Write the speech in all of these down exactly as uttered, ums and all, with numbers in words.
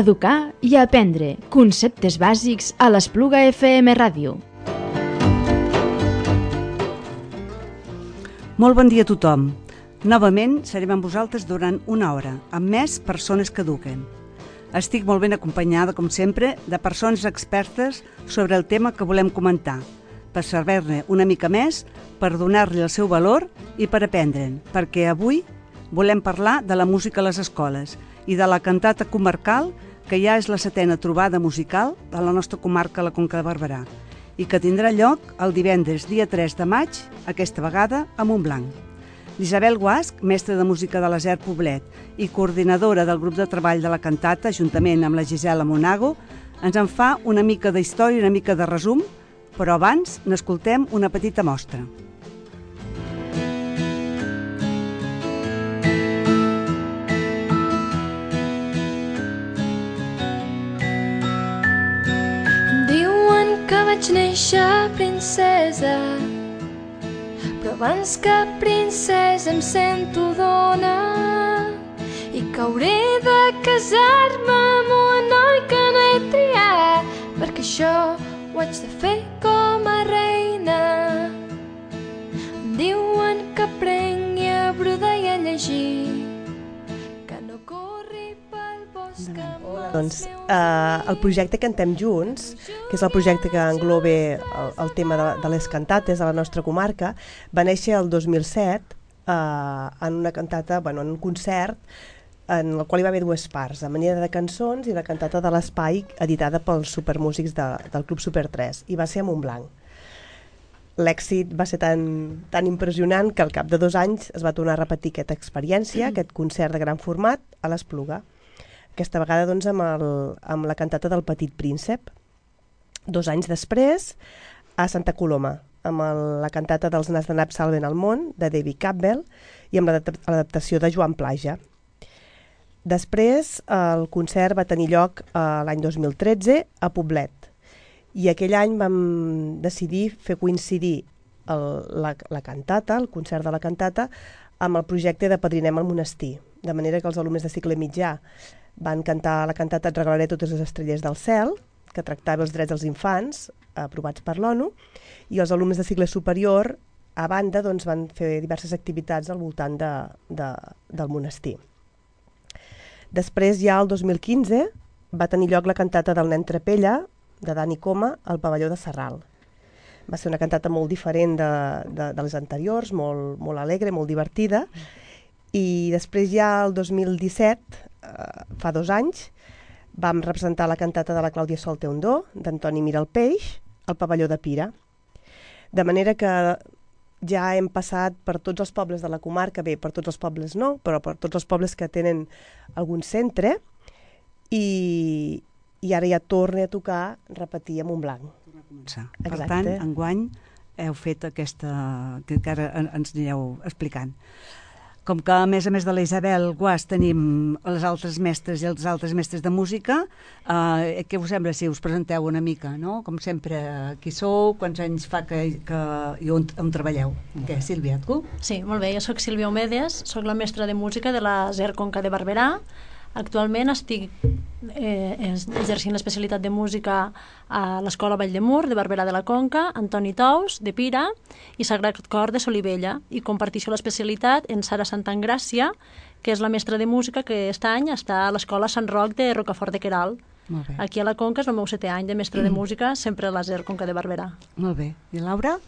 educar i aprendre conceptes bàsics a l'Espluga F M Ràdio. Molt bon dia a tothom. Novament serem amb vosaltres durant una hora, amb més persones que eduquen. Estic molt ben acompanyada, com sempre, de persones expertes sobre el tema que volem comentar, per saber-ne una mica més, per donar-li el seu valor i per aprendre'n, perquè avui volem parlar de la música a les escoles i de la cantata comarcal, que ja és la setena trobada musical de la nostra comarca, la Conca de Barberà, i que tindrà lloc el divendres dia tres de maig, aquesta vegada a Montblanc. L'Isabel Guasch, mestra de música de l'Aser Poblet i coordinadora del grup de treball de la cantata, juntament amb la Gisela Monago, ens en fa una mica d'història i una mica de resum, però abans n'escoltem una petita mostra. Vaig néixer princesa, però abans que princesa em sento dona i que hauré de casar-me amb un noi que no he triat, perquè això ho haig de fer com a reina. Em diuen que aprengui a brodar i a llegir, que no corri pel bosc amb Doncs eh, el projecte Cantem Junts, que és el projecte que engloba el, el tema de, de les cantates a la nostra comarca, va néixer el dos mil set eh, en una cantata, bueno, en un concert en el qual hi va haver dues parts, la manera de cançons i la cantata de l'Espai, editada pels supermúsics de, del Club Super tres, i va ser a Montblanc. L'èxit va ser tan, tan impressionant que al cap de dos anys es va tornar a repetir aquesta experiència, aquest concert de gran format a l'Espluga. Aquesta vegada doncs, amb, el, amb la cantata del Petit Príncep. Dos anys després, a Santa Coloma, amb el, la cantata dels Nas de Nap salven el món, de David Campbell, i amb l'adaptació de Joan Plaja. Després, el concert va tenir lloc eh, l'any dos mil tretze a Poblet, i aquell any vam decidir fer coincidir el, la, la cantata, el concert de la cantata, amb el projecte de Padrinem al Monestir, de manera que els alumnes de cicle mitjà van cantar la cantata Et regalaré totes les estrelles del cel, que tractava els drets dels infants, aprovats per l'ONU, i els alumnes de cicle superior, a banda, doncs, van fer diverses activitats al voltant de, de, del monestir. Després, ja el dos mil quinze, va tenir lloc la cantata del nen Trapella, de Dani Coma, al pavelló de Sarral. Va ser una cantata molt diferent de, de, de les anteriors, molt, molt alegre, molt divertida, i després ja el dos mil disset, eh, fa dos anys, vam representar la cantata de la Clàudia Sol té un do, d'Antoni Mira el Peix, al pavelló de Pira. De manera que ja hem passat per tots els pobles de la comarca, bé, per tots els pobles no, però per tots els pobles que tenen algun centre, i, i ara ja torna a tocar repetir a Montblanc. Per tant, enguany heu fet aquesta, que ara ens anireu explicant. Com que, a més a més de la Isabel Guasch, tenim les altres mestres i els altres mestres de música, eh, què us sembla si us presenteu una mica, no? Com sempre, qui sou, quants anys fa que, que i on, on treballeu? Què, Sílvia, tu? Sí, molt bé, jo soc Sílvia Omedes, soc la mestra de música de la Zer Conca de Barberà. Actualment estic eh, exercint l'especialitat de música a l'Escola Vall de Mur de Barberà de la Conca, Antoni Tous de Pira i Sagrat Cor de Solivella, i comparteixo l'especialitat en Sara Santangràcia, que és la mestra de música que aquest any està a l'Escola Sant Roc de Rocafort de Queralt. Aquí a la Conca és el meu setè any de mestra mm. de música, sempre a la Zer Conca de Barberà. Molt bé. I Laura?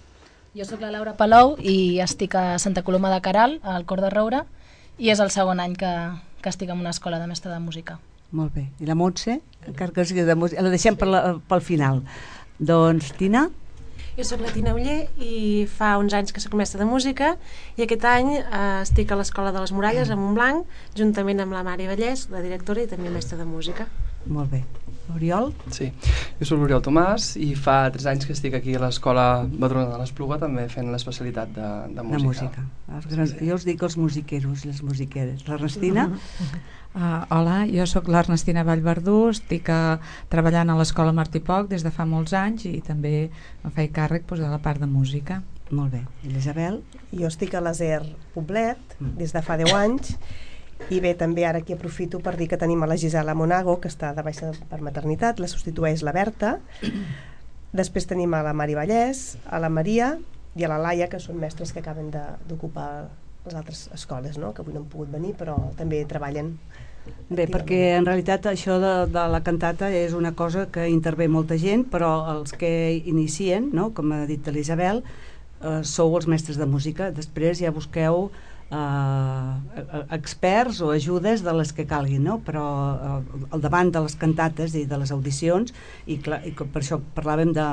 Jo sóc la Laura Palou i estic a Santa Coloma de Queralt, al Cor de Roure, i és el segon any que, que estic en una escola de mestre de música. Molt bé. I la Montse? Encara que sigui de música, la deixem per la, pel final. Doncs, Tina? Jo soc la Tina Uller i fa uns anys que soc mestra de música, i aquest any eh, estic a l'Escola de les Muralles a Montblanc, juntament amb la Mari Vallès, la directora i també mestra de música. Molt bé. Oriol? Sí, jo soc l'Oriol Tomàs i fa tres anys que estic aquí a l'Escola Madrona de l'Espluga, també fent l'especialitat de, de música. De música. Els grans, jo us dic els musiqueros i les musiqueres. L'Ernestina? Uh, hola, jo sóc l'Ernestina Vallverdú, estic uh, treballant a l'Escola Martí Poc des de fa molts anys i també em faig càrrec doncs, de la part de música. Molt bé. I l'Isabel? Jo estic a l'Aser Poblet des de fa deu anys I bé, també ara aquí aprofito per dir que tenim a la Gisela Monago, que està de baixa per maternitat, la substitueix la Berta. Després tenim a la Mari Vallès, a la Maria i a la Laia, que són mestres que acaben d'ocupar les altres escoles, no? Que avui no han pogut venir, però també treballen. Bé, perquè en realitat això de, de la cantata és una cosa que intervé molta gent, però els que inicien, no? Com ha dit l'Isabel, eh, sou els mestres de música. Després ja busqueu eh, experts o ajudes de les que calguin, no? Però eh, al davant de les cantates i de les audicions, i, clar, i per això parlàvem de,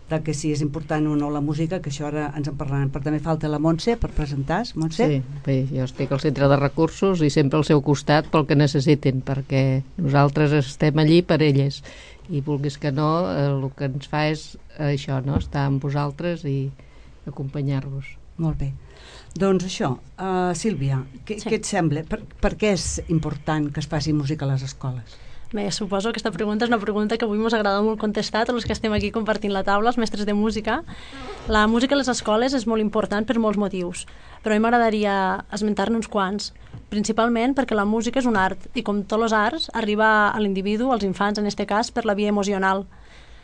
de que si és important o no la música, que això ara ens en parlaran. Però també falta la Montse per presentar. Montse? Sí, bé, jo estic al centre de recursos i sempre al seu costat pel que necessitin, perquè nosaltres estem allí per elles, i vulguis que no, eh, el que ens fa és eh, això, no? Estar amb vosaltres i acompanyar-vos. Molt bé. Doncs això, uh, Sílvia, què, sí. què et sembla? Per, per què és important que es faci música a les escoles? Bé, suposo que aquesta pregunta és una pregunta que avui ens agrada molt contestar a tots els que estem aquí compartint la taula, els mestres de música. La música a les escoles és molt important per molts motius, però a mi m'agradaria esmentar-ne uns quants, principalment perquè la música és un art, i com tots els arts, arriba a l'individu, als infants en aquest cas, per la via emocional.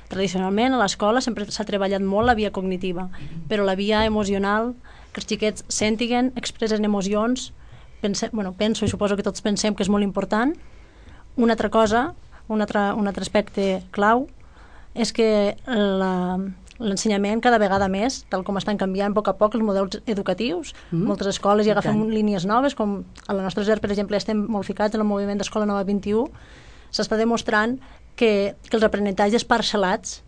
Tradicionalment a l'escola sempre s'ha treballat molt la via cognitiva, però la via emocional, que els xiquets sentiguen, expressen emocions, pense, bueno, penso i suposo que tots pensem que és molt important. Una altra cosa, un altre, un altre aspecte clau, és que l'ensenyament cada vegada més, tal com estan canviant a poc a poc els models educatius, mm. moltes escoles ja agafem línies noves, com a la nostra Z E R, per exemple, estem molt ficats en el moviment d'Escola Nova vint-i-u, s'està demostrant que, que els aprenentatges parcel·lats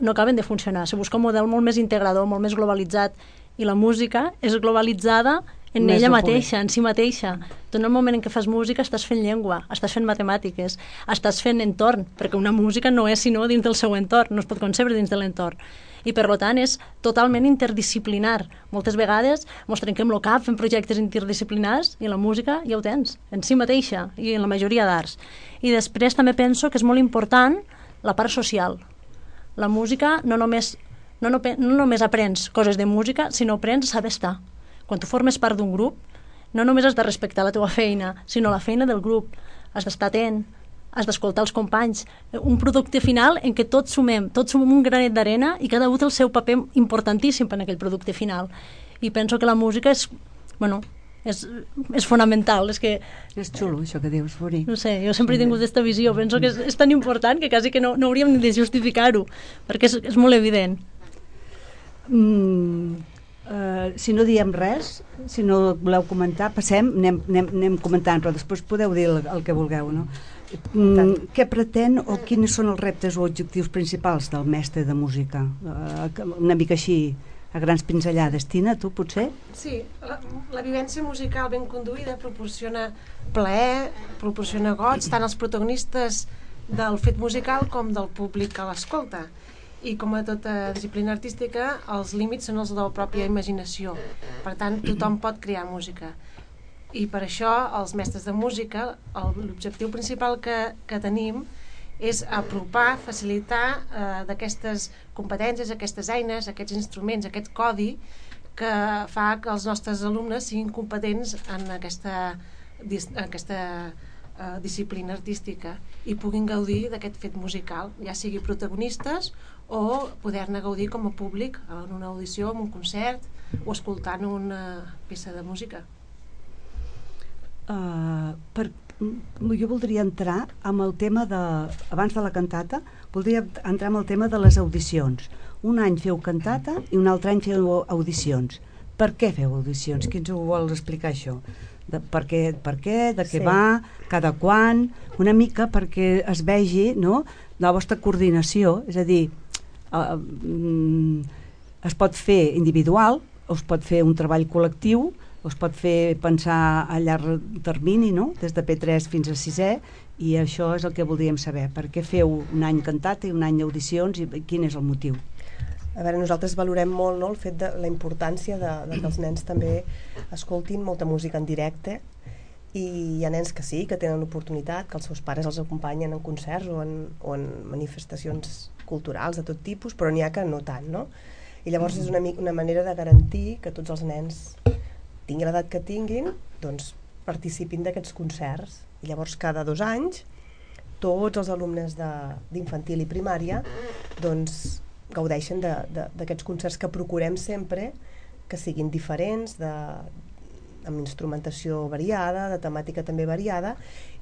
no acaben de funcionar. Se busca un model molt més integrador, molt més globalitzat, i la música és globalitzada en més ella mateixa, en si mateixa. Tu en el moment en què fas música estàs fent llengua, estàs fent matemàtiques, estàs fent entorn, perquè una música no és sinó dins del seu entorn, no es pot concebre dins de l'entorn. I per tant és totalment interdisciplinar. Moltes vegades mos trenquem el cap fent projectes interdisciplinars i la música ja ho tens, en si mateixa i en la majoria d'arts. I després també penso que és molt important la part social. La música no només, no, no, no només aprens coses de música, sinó aprens a saber estar. Quan tu formes part d'un grup, no només has de respectar la teva feina, sinó la feina del grup. Has d'estar atent, has d'escoltar els companys. Un producte final en què tots sumem, tots sumem un granet d'arena i cada un té el seu paper importantíssim en aquell producte final. I penso que la música és, bueno, és, és fonamental. És que... És xulo, això que dius, Furi. No sé, jo sempre he tingut aquesta visió. Penso que és, és tan important que quasi que no, no hauríem de justificar-ho, perquè és, és molt evident. Mm, uh, si no diem res, si no voleu comentar, passem, anem, anem, anem comentant, però després podeu dir el, el que vulgueu, no? Mm, què pretén o quins són els reptes o objectius principals del mestre de música? Uh, una mica així, a grans pinzellades. Tina, tu potser? Sí, la, la vivència musical ben conduïda proporciona plaer, proporciona goig, tant als protagonistes del fet musical com del públic que l'escolta. I com a tota disciplina artística, els límits són els de la pròpia imaginació. Per tant, tothom pot crear música. I per això, els mestres de música, l'objectiu principal que, que tenim és apropar, facilitar eh, d'aquestes competències, aquestes eines, aquests instruments, aquest codi que fa que els nostres alumnes siguin competents en aquesta, en aquesta eh, disciplina artística i puguin gaudir d'aquest fet musical, ja sigui protagonistes o poder-ne gaudir com a públic en una audició, en un concert o escoltant una peça de música. Uh, per, jo voldria entrar amb el tema de, abans de la cantata, voldria entrar amb el tema de les audicions. Un any feu cantata i un altre any feu audicions. Per què feu audicions? Qui ens ho vol explicar, això? De, per, què, per què, de què sí. va, cada quan, una mica perquè es vegi, no?, la vostra coordinació, és a dir, uh, um, es pot fer individual, o es pot fer un treball col·lectiu, o es pot fer pensar a llarg termini, no?, des de P tres fins a sisè, i això és el que voldríem saber. Per què feu un any cantata i un any audicions i quin és el motiu? A veure, nosaltres valorem molt, no?, el fet de la importància de, de que els nens també escoltin molta música en directe, i hi ha nens que sí, que tenen l'oportunitat, que els seus pares els acompanyen en concerts o en, o en manifestacions culturals de tot tipus, però n'hi ha que no tant, no? I llavors és una, una manera de garantir que tots els nens tinguin l'edat que tinguin, doncs participin d'aquests concerts. I llavors cada dos anys tots els alumnes d'infantil i primària doncs gaudeixen d'aquests concerts que procurem sempre que siguin diferents, de, amb instrumentació variada, de temàtica també variada,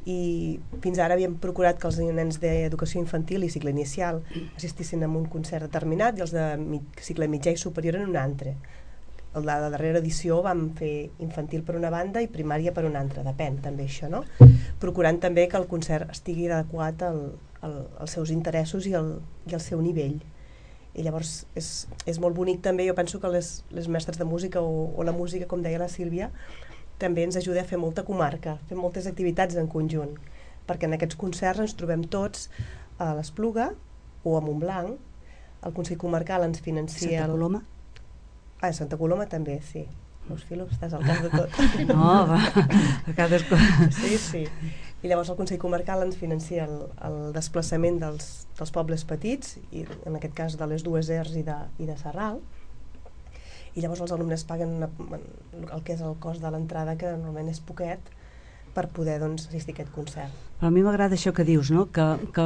i fins ara havíem procurat que els nens d'educació infantil i cicle inicial assistissin a un concert determinat i els de cicle mitjà i superior en un altre. A la darrera edició vam fer infantil per una banda i primària per una altra, depèn també això, no? Procurant també que el concert estigui adequat al, al, als seus interessos i al, i al seu nivell. I llavors és, és molt bonic també, jo penso que les, les mestres de música o, o la música, com deia la Sílvia, també ens ajuda a fer molta comarca, fer moltes activitats en conjunt, perquè en aquests concerts ens trobem tots a l'Espluga o a Montblanc, el Consell Comarcal ens financia... Santa Coloma? Ah, a Santa Coloma també, sí. Veus, Filo, estàs al cas de tot. No, va, a cadascú. Sí, sí. I llavors el Consell Comarcal ens financia el, el desplaçament dels, dels pobles petits, i en aquest cas de les dues Ers i de, i de Sarral, i llavors els alumnes paguen una, el que és el cost de l'entrada, que normalment és poquet, per poder doncs, assistir a aquest concert. Però a mi m'agrada això que dius, no? que, que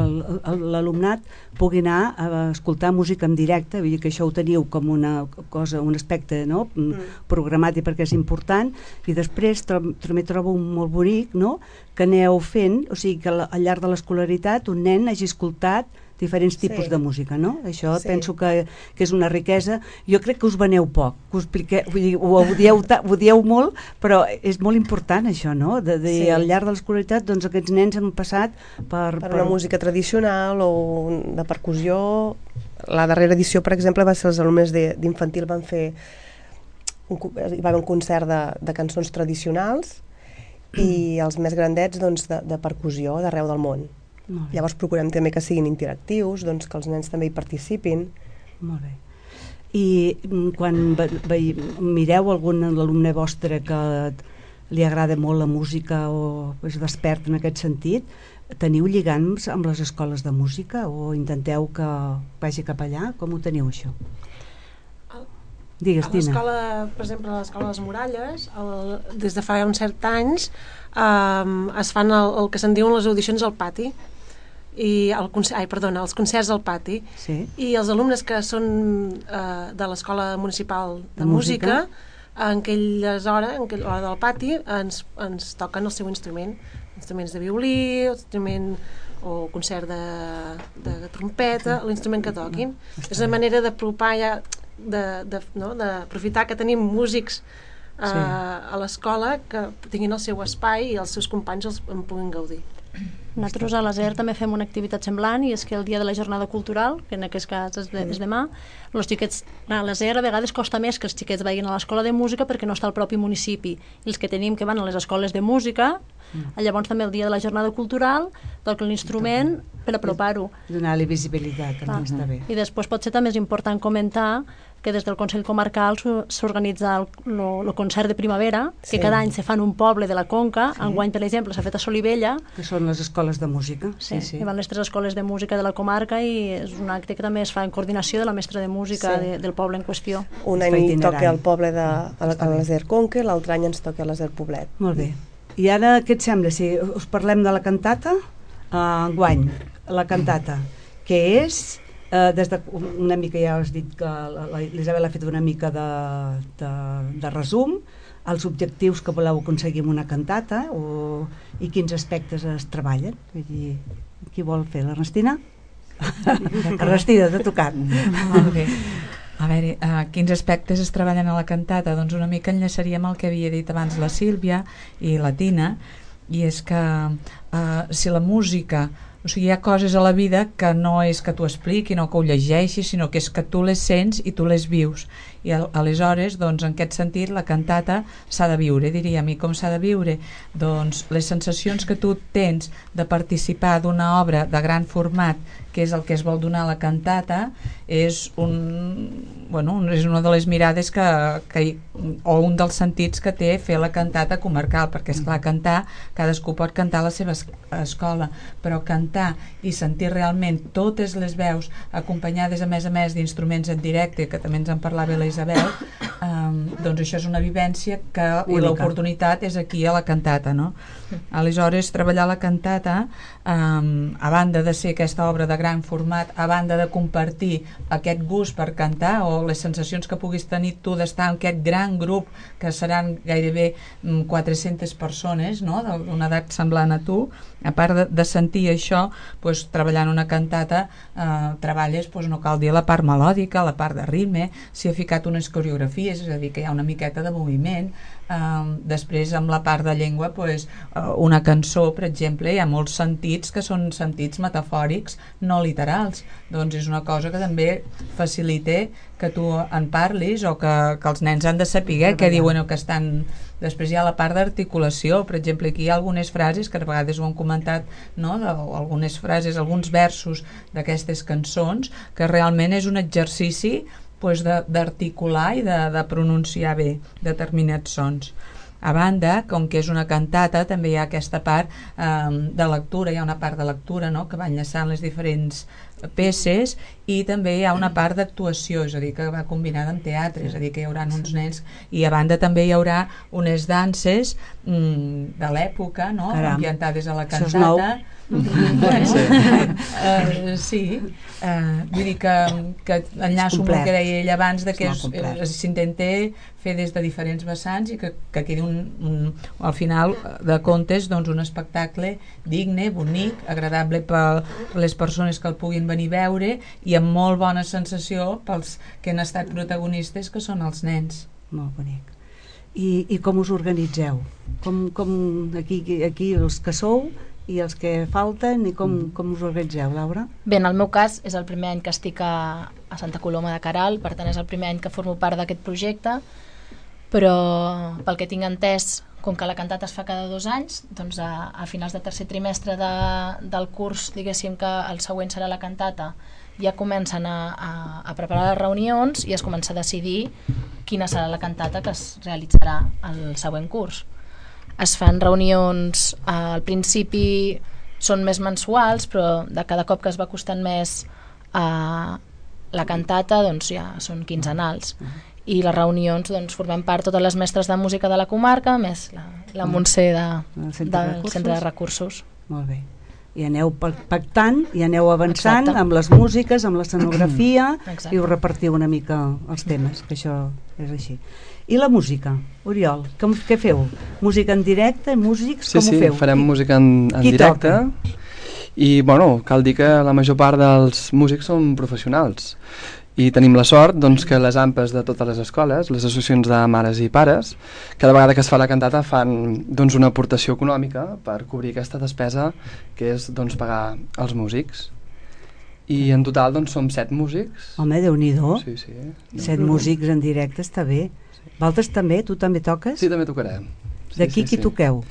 l'alumnat pugui anar a escoltar música en directe, vull dir que això ho teniu com una cosa, un aspecte, no? mm. programat i perquè és important, i després tro també trobo molt bonic, no? que aneu fent, o sigui que al llarg de l'escolaritat un nen hagi escoltat diferents tipus sí. de música, no? Això sí. penso que, que és una riquesa. Jo crec que us veneu poc, que us expliqueu, vull dir, ho, ho, dieu, ho dieu molt, però és molt important això, no? De, de, sí. Al llarg de l'escolaritat, doncs aquests nens han passat per... Per una per... música tradicional o de percussió. La darrera edició, per exemple, va ser els alumnes d'infantil van fer un, hi va haver un concert de, de cançons tradicionals i els més grandets doncs, de, de percussió d'arreu del món. Llavors procurem també que siguin interactius, doncs que els nens també hi participin. Molt bé. I quan mireu algun alumne vostre que li agrada molt la música o és despert en aquest sentit, teniu lligams amb les escoles de música o intenteu que vagi cap allà? Com ho teniu, això? Digues, Tina. A l'escola, per exemple, a l'escola de les Muralles, el, des de fa uns certs anys, um, es fan el, el que se'n diuen les audicions al pati, i el ai, perdona, els concerts al pati, sí. i els alumnes que són uh, de l'Escola Municipal de, de Música, música en aquelles hores, en aquella hora del pati, ens, ens toquen el seu instrument, instruments de violí, instrument o concert de, de trompeta, l'instrument que toquin. No, és una manera d'apropar ja, d'aprofitar no, que tenim músics uh, sí. a l'escola que tinguin el seu espai i els seus companys els, en puguin gaudir. Nosaltres a l'A S E R també fem una activitat semblant, i és que el dia de la jornada cultural, que en aquest cas és, de, és demà, els xiquets, a l'A S E R a vegades costa més que els xiquets vagin a l'escola de música perquè no està al propi municipi, i els que tenim que van a les escoles de música, mm. llavors també el dia de la jornada cultural toquen l'instrument per apropar-ho. Donar-li visibilitat, també ah. està bé. I després potser també és important comentar que des del Consell Comarcal s'organitza el, el concert de primavera, sí. que cada any se fa en un poble de la Conca. Sí. Enguany, per exemple, s'ha fet a Solivella. Que són les escoles de música. Sí, sí, sí. Hi van les tres escoles de música de la comarca i és un acte que també es fa en coordinació de la mestra de música sí. de, del poble en qüestió. Un any toca al poble de a l'A S E R Conca, l'altre any ens toca a l'A S E R Poblet. Molt bé. I ara què et sembla? Si us parlem de la cantata, uh, enguany, la cantata, que és... Uh, des de una mica ja has dit que l'Isabel ha fet una mica de, de, de resum, els objectius que voleu aconseguir amb una cantata o, i quins aspectes es treballen. Vull dir, qui vol fer? L'Ernestina? Ernestina, t'ha tocat. Molt bé. A veure, uh, quins aspectes es treballen a la cantata? Doncs una mica enllaçaríem el que havia dit abans la Sílvia i la Tina, i és que uh, si la música... O sigui, hi ha coses a la vida que no és que t'ho expliqui, no que ho llegeixis, sinó que és que tu les sents i tu les vius. I aleshores, doncs, en aquest sentit, la cantata s'ha de viure, diríem. I com s'ha de viure? Doncs les sensacions que tu tens de participar d'una obra de gran format, que és el que es vol donar a la cantata, és, un, bueno, és una de les mirades que, que, o un dels sentits que té fer la cantata comarcal, perquè, esclar, cantar, cadascú pot cantar a la seva escola, però cantar i sentir realment totes les veus acompanyades a més a més d'instruments en directe, que també ens en parlava la Isabel, um, doncs això és una vivència que, i l'oportunitat és aquí a la cantata, no? Aleshores, treballar la cantata, um, a banda de ser aquesta obra de gran format, a banda de compartir aquest gust per cantar o les sensacions que puguis tenir tu d'estar en aquest gran grup, que seran gairebé quatre-centes persones, no?, d'una edat semblant a tu, a part de, de sentir això, doncs, treballant una cantata, eh, treballes, doncs, no cal dir la part melòdica, la part de ritme, s'hi ha ficat unes coreografies, és a dir, que hi ha una miqueta de moviment. Uh, després amb la part de llengua, pues, uh, una cançó, per exemple, hi ha molts sentits que són sentits metafòrics, no literals, doncs és una cosa que també facilita que tu en parlis o que, que els nens han de saber què diuen o que estan. Després hi ha la part d'articulació, per exemple, aquí hi ha algunes frases que a vegades ho han comentat, no? De, algunes frases, alguns versos d'aquestes cançons, que realment és un exercici pues, d'articular i de, de pronunciar bé determinats sons. A banda, com que és una cantata, també hi ha aquesta part eh, de lectura, hi ha una part de lectura, no?, que va enllaçant les diferents peces, i també hi ha una part d'actuació, és a dir, que va combinada amb teatre, és a dir, que hi haurà uns nens, i a banda també hi haurà unes danses mm, de l'època, no?, ambientades a la cantata. Bueno, sí, uh, sí. Uh, vull dir que, que enllaço amb el que deia ell abans, de que s'intenta fer des de diferents vessants i que, que quedi un, un, al final de comptes, doncs, un espectacle digne, bonic, agradable per les persones que el puguin venir a veure i amb molt bona sensació pels que han estat protagonistes, que són els nens. Molt bonic. I, i com us organitzeu? Com, com aquí, aquí els que sou i els que falten, i com, mm. com us organitzeu, Laura? Bé, en el meu cas és el primer any que estic a, a Santa Coloma de Queralt, per tant és el primer any que formo part d'aquest projecte, però pel que tinc entès, com que la cantata es fa cada dos anys, doncs a, a finals de tercer trimestre de, del curs, diguéssim que el següent serà la cantata, ja comencen a, a, a preparar les reunions i es comença a decidir quina serà la cantata que es realitzarà al següent curs. Es fan reunions, eh, al principi són més mensuals, però de cada cop que es va costant més eh, la cantata, doncs ja són quinzenals. I les reunions, doncs, formem part totes les mestres de música de la comarca, més la, la Montse de, centre del de Centre de Recursos. Molt bé. I aneu pactant, i aneu avançant. Exacte. Amb les músiques, amb l'escenografia, i us repartiu una mica els temes, que això és així. I la música, Oriol, com, què feu? Música en directe, músics, sí, com sí, ho feu? Sí, farem música en, en directe. Toca? I, bueno, cal dir que la major part dels músics són professionals. I tenim la sort, doncs, que les AMPAs de totes les escoles, les associacions de mares i pares, cada vegada que es fa la cantata fan, doncs, una aportació econòmica per cobrir aquesta despesa, que és, doncs, pagar els músics. I en total, doncs, som set músics. Home, Déu-n'hi-do. Sí, sí. Set no. músics en directe, està bé. Valtres també? Tu també toques? Sí, també tocarem. Sí, D'aquí sí, qui sí. toqueu?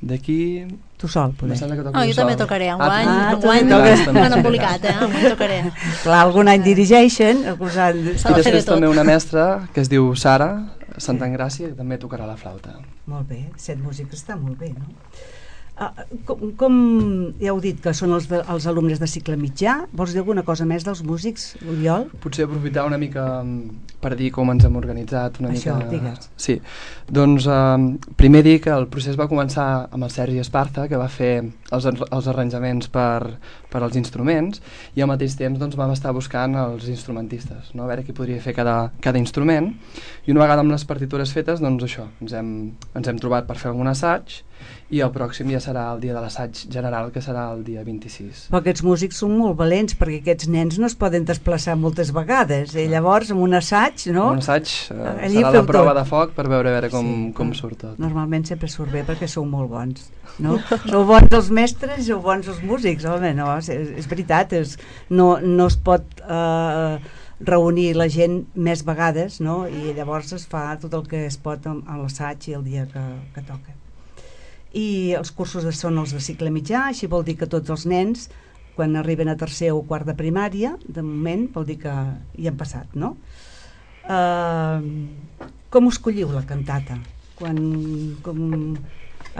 D'aquí... Tu sol, poder. Oh, jo sol. També tocaré, enguany. Ah, enguany no han embolicat, eh? Enguany tocaré. Clar, algun any dirigeixen. Alguns any... I després també una mestra que es diu Sara Santangràcia, que també tocarà la flauta. Molt bé, set músics està molt bé, no? Uh, com, com ja heu dit que són els, de, els alumnes de cicle mitjà, vols dir alguna cosa més dels músics, Oriol? Potser aprofitar una mica per dir com ens hem organitzat una Això, mica... digues. Sí, doncs um, primer dir que el procés va començar amb el Sergi Esparza, que va fer els, els arranjaments per, per als instruments, i al mateix temps doncs, vam estar buscant els instrumentistes, no? A veure qui podria fer cada, cada instrument, i una vegada amb les partitures fetes, doncs això, ens hem, ens hem trobat per fer algun assaig, i el pròxim ja serà el dia de l'assaig general, que serà el dia vint-i-sis. Però aquests músics són molt valents, perquè aquests nens no es poden desplaçar moltes vegades, i eh? Llavors amb un assaig, no? Un assaig eh, serà la prova tot. de foc per veure, a veure com, sí, com surt tot. Normalment sempre surt bé perquè sou molt bons, no? Sou bons els mestres i sou bons els músics, home, no, és, és veritat, és, no, no es pot eh, reunir la gent més vegades, no? I llavors es fa tot el que es pot amb, amb l'assaig i el dia que, que toca. I els cursos són els de cicle mitjà, així vol dir que tots els nens, quan arriben a tercer o quart de primària, de moment vol dir que hi han passat, no? Uh, com us colliu la cantata? Quan, com,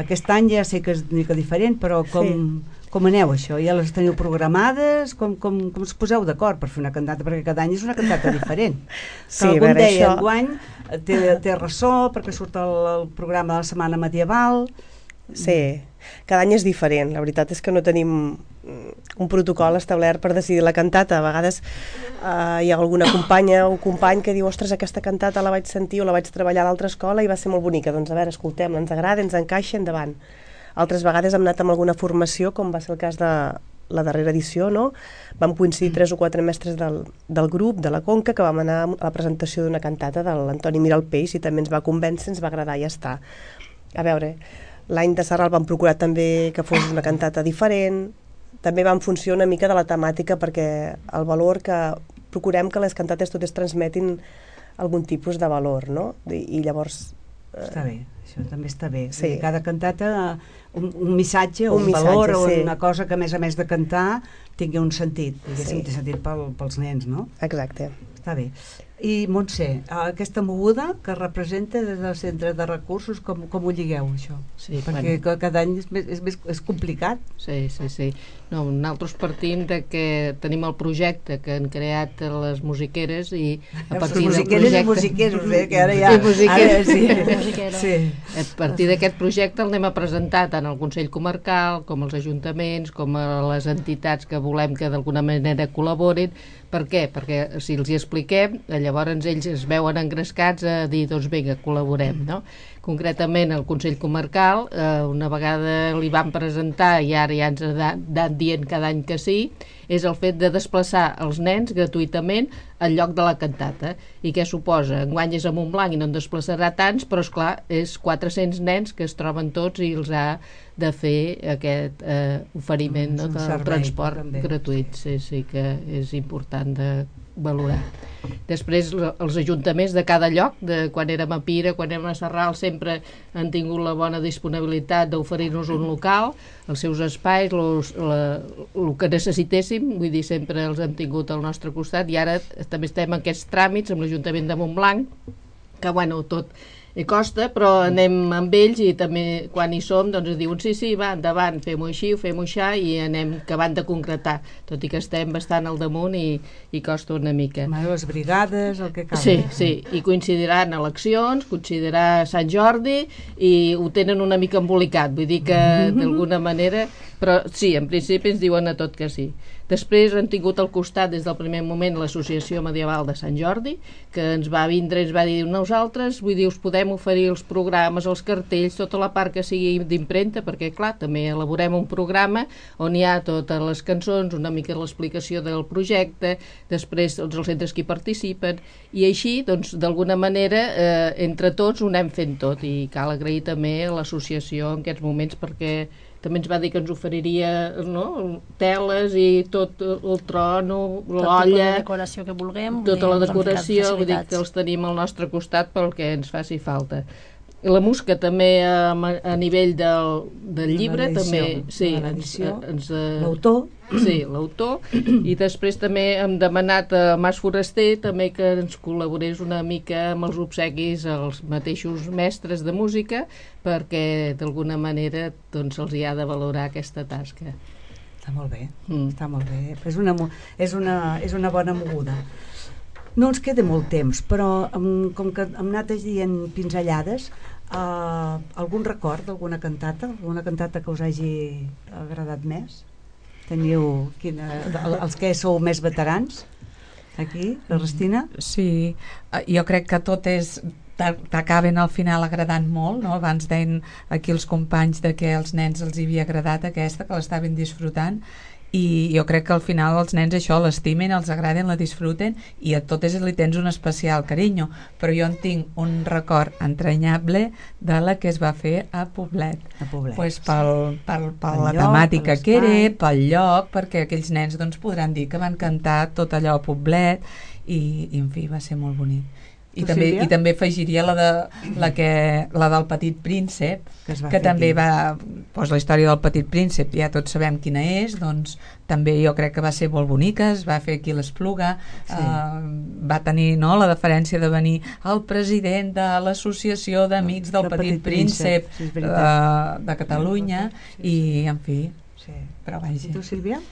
aquest any ja sé que és una mica diferent, però com, sí. Com aneu això? Ja les teniu programades? Com, com, com us poseu d'acord per fer una cantata? Perquè cada any és una cantata diferent. Sí, que algun veure, deia, això... enguany té, té ressò perquè surt el, el programa de la setmana medieval. Sí, cada any és diferent. La veritat és que no tenim un protocol establert per decidir la cantata. A vegades eh, hi ha alguna companya o company que diu, ostres, aquesta cantata la vaig sentir o la vaig treballar a l'altra escola i va ser molt bonica. Doncs a veure, escoltem-la, ens agrada, ens encaixa, endavant. Altres vegades hem anat amb alguna formació, com va ser el cas de la darrera edició, no? Vam coincidir tres o quatre mestres del, del grup, de la Conca, que vam anar a la presentació d'una cantata de l'Antoni Miralpeix i també ens va convèncer, ens va agradar i ja està. A veure, l'any de Sarral vam procurar també que fos una cantata diferent, també va en funció una mica de la temàtica perquè el valor que procurem que les cantates totes transmetin algun tipus de valor, no? I, i llavors... Eh, està bé, això també està bé. Sí. Cada cantata un, un missatge, un, un missatge, valor o sí. una cosa que a més a més de cantar tingui un sentit, diguéssim, Sí. té sentit pel, pels nens, no? Exacte. Està bé. I Montse, aquesta moguda que representa des del centre de recursos, com, com ho lligueu això? Sí, perquè bueno. cada any és, més, és, més, és complicat. Sí, sí, sí. No, nosaltres partim de que tenim el projecte que han creat les musiqueres i a partir del musiqueres projecte... i musiqueros, eh, que ara ja... Sí, musiqueres. Ara, sí. sí. A partir d'aquest projecte el anem a presentar tant al Consell Comarcal com als ajuntaments, com a les entitats que volem que d'alguna manera col·laborin. Per què? Perquè si els hi expliquem, llavors ells es veuen engrescats a dir, doncs vinga, col·laborem, no? Concretament el Consell Comarcal, eh, una vegada li van presentar i ara ja ens ha anat dient cada any que sí, és el fet de desplaçar els nens gratuïtament al lloc de la cantata. I què suposa? Enguany és a Montblanc i no en desplaçarà tants, però esclar, és quatre-cents nens que es troben tots i els ha de fer aquest eh, oferiment, no, del servei, transport també. gratuït. Sí, sí que és important de valorar. Després els ajuntaments de cada lloc, de quan érem a Pira, quan érem a Sarral, sempre han tingut la bona disponibilitat d'oferir-nos un local, els seus espais, los, la, el que necessitéssim, vull dir, sempre els hem tingut al nostre costat i ara també estem en aquests tràmits amb l'Ajuntament de Montblanc, que bueno, tot i costa, però anem amb ells i també quan hi som doncs ens diuen sí, sí, va, endavant, fem-ho així, fem-ho així i anem acabant de concretar, tot i que estem bastant al damunt i, i costa una mica. Les brigades, el que cal. Sí, sí, i coincidiran eleccions, coincidirà Sant Jordi i ho tenen una mica embolicat, vull dir que d'alguna manera, però sí, en principi ens diuen a tot que sí. Després han tingut al costat des del primer moment l'Associació Medieval de Sant Jordi, que ens va vindre i ens va dir nosaltres, vull dir, us podem oferir els programes, els cartells, tota la part que sigui d'impremta, perquè clar, també elaborem un programa on hi ha totes les cançons, una mica l'explicació del projecte, després tots els centres que hi participen, i així, doncs, d'alguna manera, eh, entre tots ho anem fent tot, i cal agrair també a l'associació en aquests moments perquè també ens va dir que ens oferiria, no?, teles i tot el trono, l'olla, tota la decoració que vulguem, tota la ens han ficat decoració, vull dir facilitats. que els tenim al nostre costat pel que ens faci falta. I la música també a, a nivell del, del llibre, també, sí, ens, ens, l'autor, sí, l'autor, i després també hem demanat a Mas Foraster també que ens col·laborés una mica amb els obsequis als mateixos mestres de música perquè d'alguna manera doncs se'ls hi ha de valorar aquesta tasca. Està molt bé, mm. està molt bé. És una, és, una, és una bona moguda. No ens queda molt temps, però um, com que hem anat dient pinzellades, uh, algun record d'alguna cantata? Alguna cantata que us hagi agradat més? Teniu quina, els que sou més veterans? Aquí, la Restina? Sí, jo crec que tot és t'acaben al final agradant molt, no? Abans deien aquí els companys de que als nens els hi havia agradat aquesta, que l'estaven disfrutant, i jo crec que al final els nens això l'estimen, els agraden, la disfruten i a totes li tens un especial carinyo, però jo en tinc un record entranyable de la que es va fer a Poblet, a Poblet pues pel, pel, per la lloc, temàtica que era, pel lloc, perquè aquells nens doncs, podran dir que van cantar tot allò a Poblet i, i en fi, va ser molt bonic. I tu, també, Sílvia? i també afegiria la, de, la, que, la del Petit Príncep, que, que també aquí. va doncs la història del Petit Príncep, ja tots sabem quina és, doncs també jo crec que va ser molt bonica, es va fer aquí a l'Espluga, sí. eh, va tenir, no, la deferència de venir el president de l'Associació d'Amics del Petit, Petit Príncep, Príncep sí, eh, de Catalunya, sí, sí. i en fi sí. Però vaja. I tu, Sílvia?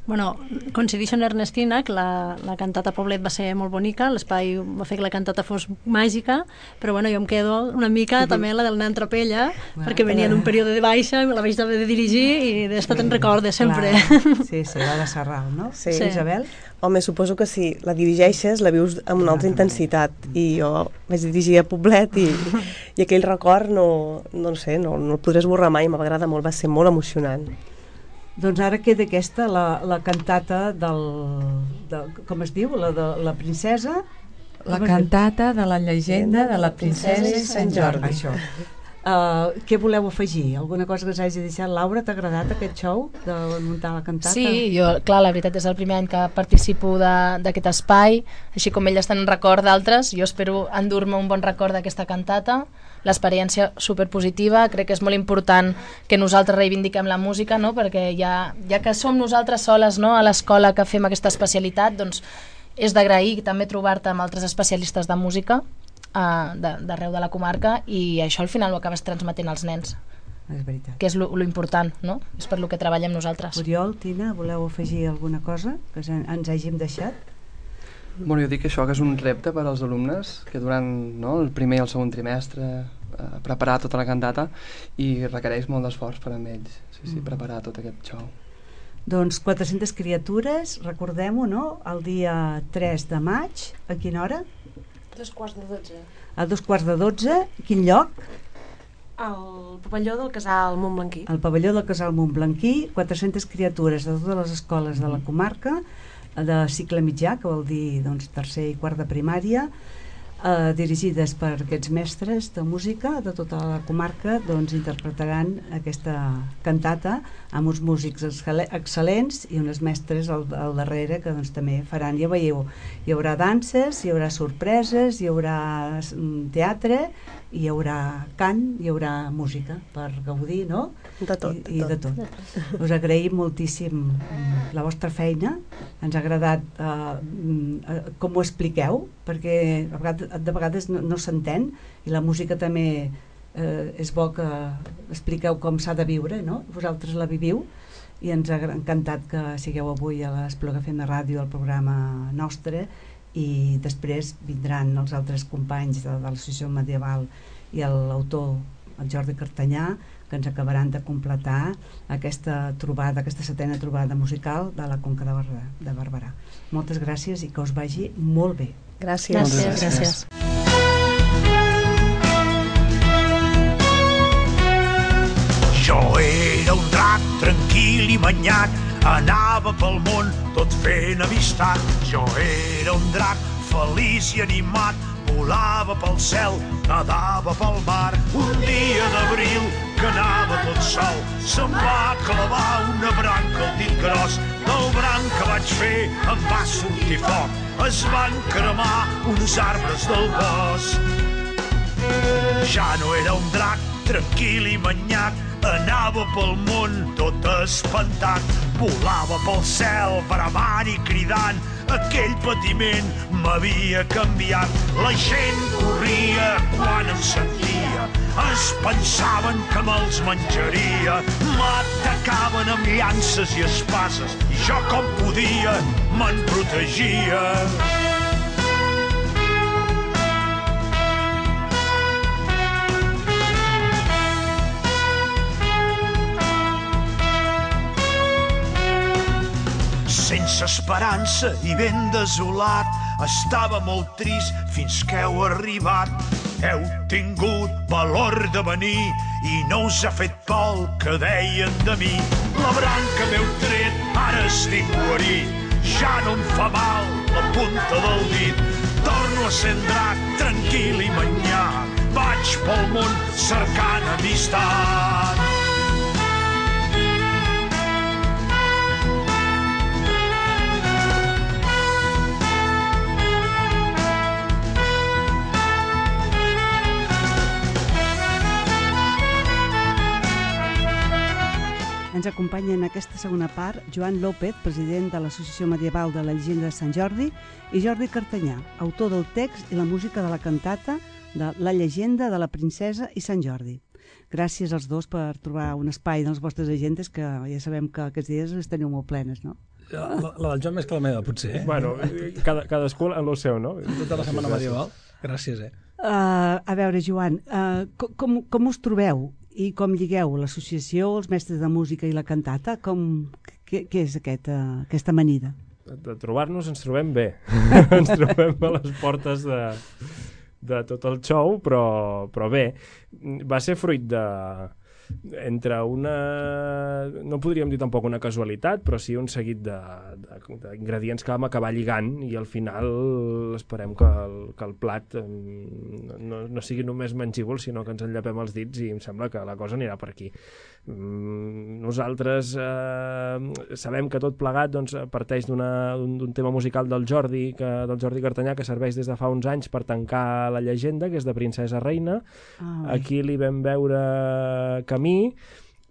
Bueno, coincideixo amb l'Ernestina, que la, la cantata a Poblet va ser molt bonica, l'espai va fer que la cantata fos màgica, però bueno, jo em quedo una mica també la del nen Tropella, Bueno, perquè venia d'un període de baixa, la vaig haver de dirigir i d'esta te'n recordes sempre. Clar. Sí, sí, la de Serral, no? Sí. Sí. Isabel? Home, suposo que si la dirigeixes la vius amb una altra intensitat, i jo vaig dirigir a Poblet i, i aquell record no, no sé, no, no el podré esborrar mai, m'agrada molt, va ser molt emocionant. Doncs ara queda aquesta, la, la cantata del, de, com es diu, la de la princesa... La cantata de la llegenda de la princesa i Sant Jordi. Això. Uh, què voleu afegir? Alguna cosa que us hagi deixat? Laura, t'ha agradat aquest show de muntar la cantata? Sí, jo, clar, la veritat és el primer any que participo d'aquest espai, així com elles tenen record d'altres, jo espero endur-me un bon record d'aquesta cantata, l'experiència superpositiva, crec que és molt important que nosaltres reivindiquem la música, no? Perquè ja, ja que som nosaltres soles, no? A l'escola que fem aquesta especialitat, doncs és d'agrair també trobar-te amb altres especialistes de música uh, d'arreu de la comarca, i això al final ho acabes transmetent als nens. És veritat. Que és lo, lo important, no? És per lo que treballem nosaltres. Oriol, Tina, voleu afegir alguna cosa que ens hàgim deixat? Bueno, jo dic això, que és un repte per als alumnes, que durant no, el primer i el segon trimestre eh, preparar tota la cantata, i requereix molt d'esforç per a ells, sí, sí, preparar tot aquest show. Doncs quatre-centes criatures, recordem-ho, no? El dia tres de maig, a quina hora? Dos quarts de dotze. A dos quarts de dotze, quin lloc? El pavelló del Casal Montblanquí. El pavelló del Casal Montblanquí, quatre-centes criatures de totes les escoles de la comarca, de cicle mitjà, que vol dir doncs, tercer i quart de primària, eh, dirigides per aquests mestres de música de tota la comarca, doncs interpretaran aquesta cantata amb uns músics excel·lents i unes mestres al, al darrere que doncs, també faran, ja veieu, hi haurà danses, hi haurà sorpreses, hi haurà teatre, hi haurà cant, hi haurà música per gaudir, no? De tot. I, i de tot. De tot. Us agraïm moltíssim la vostra feina, ens ha agradat eh, com ho expliqueu, perquè a vegades, de vegades no, no s'entén, i la música també eh, és bo que expliqueu com s'ha de viure, no? Vosaltres la viviu, i ens ha encantat que sigueu avui a l'Espluga F M Ràdio, al programa nostre, i després vindran els altres companys de, de l'Associació Medieval i l'autor, el Jordi Cartanyà, que ens acabaran de completar aquesta trobada, aquesta setena trobada musical de la Conca de, Bar de Barberà. Moltes gràcies i que us vagi molt bé. Gràcies. Gràcies. gràcies. Jo era un drac tranquil i manyac, anava pel món tot fent amistat. Jo era un drac feliç i animat, volava pel cel, nadava pel mar. Un dia d'abril que anava tot sol, se'm va clavar una branca al dit gros. Del branc que vaig fer em va sortir foc, es van cremar uns arbres del bosc. Ja no era un drac tranquil i manyac, anava pel món tot espantat, volava pel cel bramant i cridant, aquell patiment m'havia canviat. La gent corria quan em sentia, es pensaven que me'ls menjaria, m'atacaven amb llances i espases, i jo com podia me'n protegia. Sense esperança i ben desolat, estava molt trist fins que heu arribat. Heu tingut valor de venir i no us ha fet por el que deien de mi. La branca m'heu tret, ara estic guarit, ja no em fa mal la punta del dit. Torno a ser drac, tranquil i manyac, vaig pel món cercant amistat. Ens acompanya en aquesta segona part Joan López, president de l'Associació Medieval de la Llegenda de Sant Jordi, i Jordi Cartanyà, autor del text i la música de la cantata de La Llegenda de la Princesa i Sant Jordi. gràcies als dos per trobar un espai en les vostres agendes, que ja sabem que aquests dies les teniu molt plenes, no? La, la del Joan més que la meva, potser, eh? Bueno, cada, cadascú en el seu, no? Tota la setmana medieval. Gràcies, eh? Uh, a veure, Joan, uh, com, com us trobeu i com lligueu l'associació, els mestres de música i la cantata? Com, què, què és aquest, uh, aquesta amanida? De trobar-nos ens trobem bé. Ens trobem a les portes de, de tot el show, però, però bé, va ser fruit de... entre una... no podríem dir tampoc una casualitat, però sí un seguit d'ingredients que vam acabar lligant i al final esperem que el, que el plat no, no sigui només mengíbol, sinó que ens enllapem els dits i em sembla que la cosa anirà per aquí. Nosaltres eh, sabem que tot plegat doncs, parteix d'un tema musical del Jordi, que, del Jordi Cartanyà, que serveix des de fa uns anys per tancar la llegenda, que és de Princesa Reina. Ah, aquí li vam veure camí,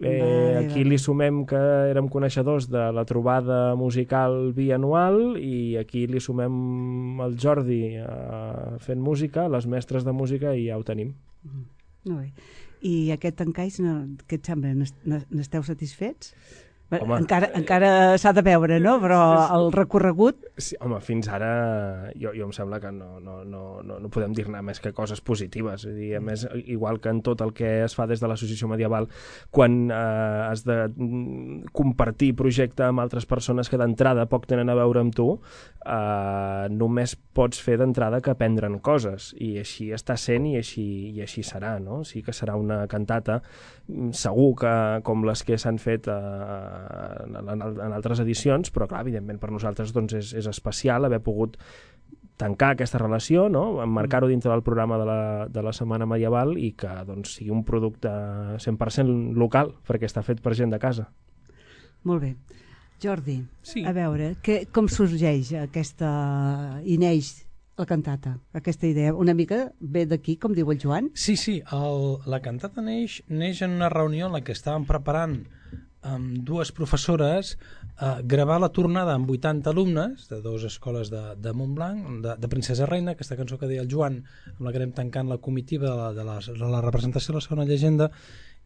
eh, aquí li sumem que érem coneixedors de la trobada musical bianual i aquí li sumem el Jordi eh, fent música, les mestres de música, i ja ho tenim. Mm, molt bé. I aquest encaix, no, què et sembla? N'esteu satisfets? Home, encara encara s'ha de veure, no? Però el recorregut... Sí, home, fins ara jo, jo em sembla que no, no, no, no, no podem dir-ne més que coses positives. És a dir, a més, igual que en tot el que es fa des de l'associació medieval, quan eh, has de compartir projecte amb altres persones que d'entrada poc tenen a veure amb tu, eh, només pots fer d'entrada que aprendre'n coses. I així està sent i així, i així serà, no? Sí que serà una cantata, segur que com les que s'han fet eh, En, en, en altres edicions, però clar, evidentment per nosaltres doncs, és, és especial haver pogut tancar aquesta relació, no? Emmarcar-ho dintre del programa de la, de la Setmana Medieval i que doncs, sigui un producte cent per cent local, perquè està fet per gent de casa. Molt bé. Jordi, sí. A veure, que, com sorgeix aquesta i neix la cantata, aquesta idea? Una mica ve d'aquí, com diu el Joan? Sí, sí, el, la cantata neix, neix en una reunió en la que estàvem preparant amb dues professores eh, gravar la tornada amb vuitanta alumnes de dues escoles de, de Montblanc, de, de Princesa Reina, aquesta cançó que deia el Joan, amb la que anem tancant la comitiva de la, de la, de la representació de la segona llegenda,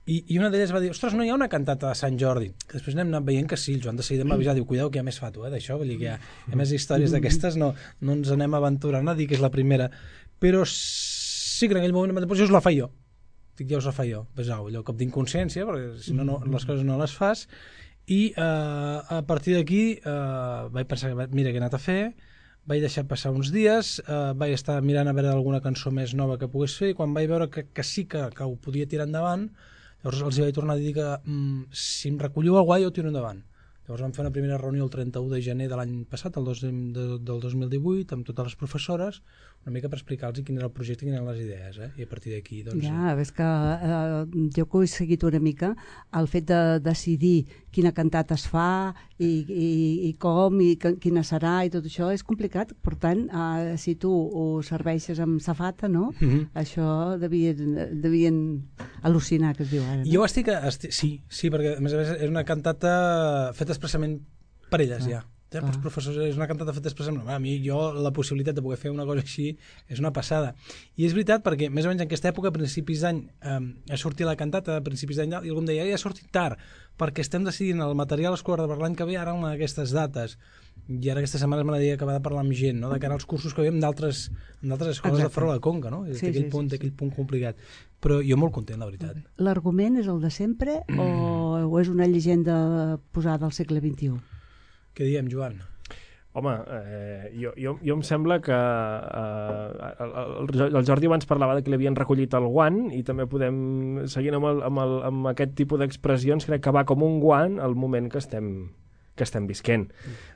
i, i una d'elles va dir, ostres, no hi ha una cantata de Sant Jordi? Que després anem anat veient que sí, el Joan de seguida m'ha avisat, diu, cuidao que hi ha més fato, eh, d'això, vull dir que hi ha, hi ha més històries d'aquestes, no, no ens anem aventurant a dir que és la primera, però sí que en aquell moment jo us la faig jo. Dic, ja us la faig jo, pesau, allò cop d'inconsciència, perquè si no, no les coses no les fas, i eh, a partir d'aquí eh, vaig pensar, mira què he anat a fer, vaig deixar passar uns dies, eh, vaig estar mirant a veure alguna cançó més nova que pogués fer, i quan vaig veure que, que sí que, que ho podia tirar endavant, llavors els hi vaig tornar a dir que mm, si em recolliu el guai jo ho tiro endavant. Llavors vam fer una primera reunió el trenta-u de gener de l'any passat, el dos, de, del dos mil divuit, amb totes les professores, una mica per explicar-los quin era el projecte i quines eren les idees, eh? I a partir d'aquí... Doncs, ja, és que eh, jo que ho he seguit una mica, el fet de decidir quina cantata es fa i, i, i com i quina serà i tot això és complicat, per tant, eh, si tu ho serveixes amb safata, no? Mm-hmm. Això devien, devien al·lucinar, que es diu ara. No? Jo estic, estic... Sí, sí, perquè a més a més és una cantata feta expressament per elles, ah. ja. Ja, pels professors és una cantata feta expressament. A mi, jo, la possibilitat de poder fer una cosa així és una passada. I és veritat perquè, més o menys en aquesta època, a principis d'any, eh, ha sortit la cantata, a principis d'any, i algú em deia, ja ha sortit tard, perquè estem decidint el material escolar per l'any que ve ara en aquestes dates. I ara aquesta setmana m'agradaria acabar de parlar amb gent, no? De cara als cursos que veiem d'altres escoles Exacte. De fora de la Conca, no? Sí, d'aquell sí, punt, sí, sí. punt complicat. Però jo molt content, la veritat. L'argument és el de sempre mm. o, o és una llegenda posada al segle vint-i-u? Què diem, Joan? Home, eh, jo, jo, jo em sembla que eh, el, el Jordi abans parlava de que li havien recollit el guant i també podem, seguint amb, el, amb, el, amb aquest tipus d'expressions, crec que va com un guant al moment que estem que estem visquent.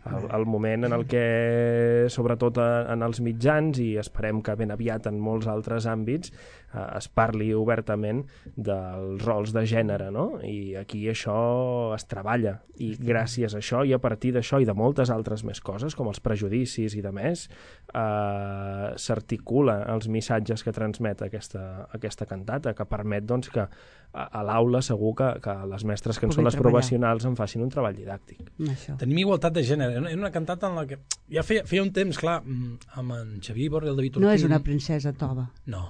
El, el moment en el que, sobretot en els mitjans, i esperem que ben aviat en molts altres àmbits, eh, es parli obertament dels rols de gènere, no? I aquí això es treballa. I gràcies a això, i a partir d'això, i de moltes altres més coses, com els prejudicis i de més, eh, s'articula els missatges que transmet aquesta, aquesta cantata, que permet doncs, que a, a l'aula segur que, que les mestres que en són les professionals en facin un treball didàctic. Això. Tenim igualtat de gènere. Era una cantata en la que ja feia, feia un temps, clar, amb en Xavier Borri i el David Ortiz. No és una princesa tova. No,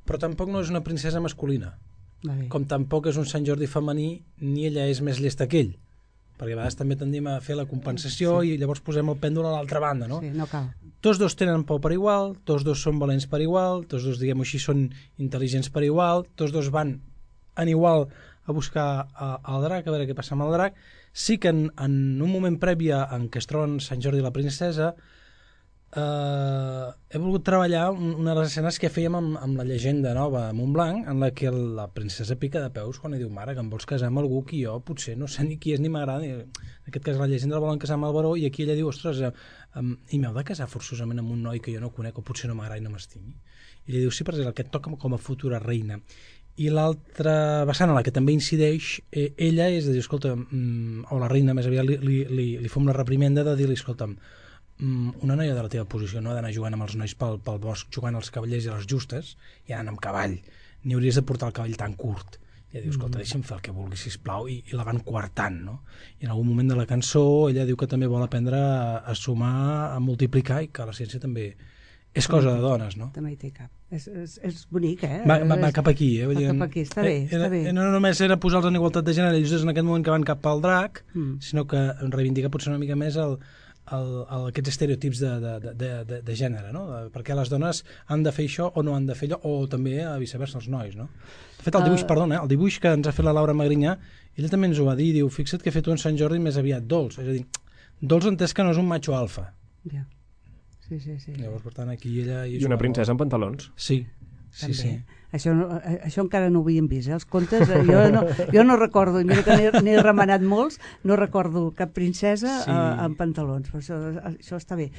però tampoc no és una princesa masculina. Vale. Com tampoc és un Sant Jordi femení, ni ella és més llesta que ell, perquè a vegades també tendim a fer la compensació sí. i llavors posem el pèndol a l'altra banda, no? Sí, no cal. Tots dos tenen por per igual, tots dos són valents per igual, tots dos, diguem-ho així, són intel·ligents per igual, tots dos van en igual a buscar el drac, a veure què passa amb el drac. Sí que en, en un moment previ en què es troben Sant Jordi i la princesa, eh, he volgut treballar una de les escenes que fèiem amb, amb la llegenda nova de Montblanc, en la que la princesa pica de peus quan li diu, mare, que em vols casar amb algú que jo potser no sé ni qui és ni m'agrada. En aquest cas la llegenda la volen casar amb el baró i aquí ella diu, ostres, um, i m'heu de casar forçosament amb un noi que jo no conec o potser no m'agrada i no m'estimi. I li diu, sí, perquè és el que et toca com a futura reina. I l'altra vessant a la que també incideix, eh, ella és de dir, escolta, mm, o la reina més aviat li, li, li, li fem la reprimenda de dir-li, escolta'm, mm, una noia de la teva posició no ha d'anar jugant amb els nois pel, pel bosc, jugant als cavallers i a les justes, i anant amb cavall, ni hauries de portar el cavall tan curt. I ella diu, escolta, deixa'm fer el que vulgui, sisplau, i, i la van coartant, no? I en algun moment de la cançó ella diu que també vol aprendre a, a sumar, a multiplicar, i que la ciència també és cosa de dones, no? També hi té cap. És, és, és bonic, eh? Va, va, va cap aquí, eh? Va cap aquí, està bé, era, està bé. No només era posar-los en igualtat de gènere, just en aquest moment que van cap al drac, mm. sinó que reivindica potser una mica més el, el, el, aquests estereotips de, de, de, de, de gènere, no? Perquè les dones han de fer això o no han de fer allò, o també a viceversa els nois, no? De fet, el dibuix, uh... perdona, el dibuix que ens ha fet la Laura Magrinyà, ella també ens ho va dir, diu, fixa't que he fet un Sant Jordi més aviat dolç, és a dir, dolç entès que no és un macho alfa. Ja. Sí, sí, sí. Llavors, per tant, aquí ella... I una princesa amb pantalons. Sí, sí, sí. Això, no, això encara no ho havíem vist, eh? Els contes, jo no, jo no recordo, i mira que n'he remenat molts, no recordo cap princesa sí. uh, amb pantalons, però això, això està bé.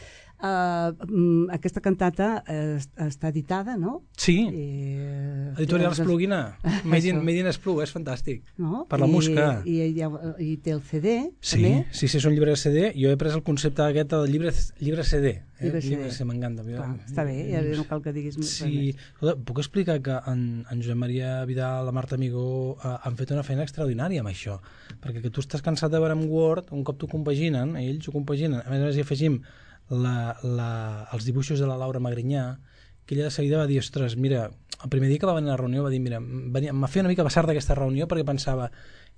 Uh, um, aquesta cantata uh, està editada, no? Sí, I, uh, Editorial Esplugina, Made in, Made in Esplug, és fantàstic, no? Per la I, Musca. I, i, I té el C D, sí, també? Sí, sí, és un llibre de C D, jo he pres el concepte aquest del llibre, llibre C D. Eh? Llibre C D. Llibre C D, m'encanta. Clar, està bé, ja no cal que diguis més. Sí, puc explicar que en, en Josep Maria Vidal, la Marta Amigó, eh, han fet una feina extraordinària amb això, perquè que tu estàs cansat de veure en Word, un cop t'ho compaginen, ells ho compaginen, a més a més hi afegim la, la, els dibuixos de la Laura Magrinyà, que ella de seguida va dir, ostres, mira, el primer dia que va venir a la reunió va dir, mira, m'ha fet una mica passar d'aquesta reunió perquè pensava,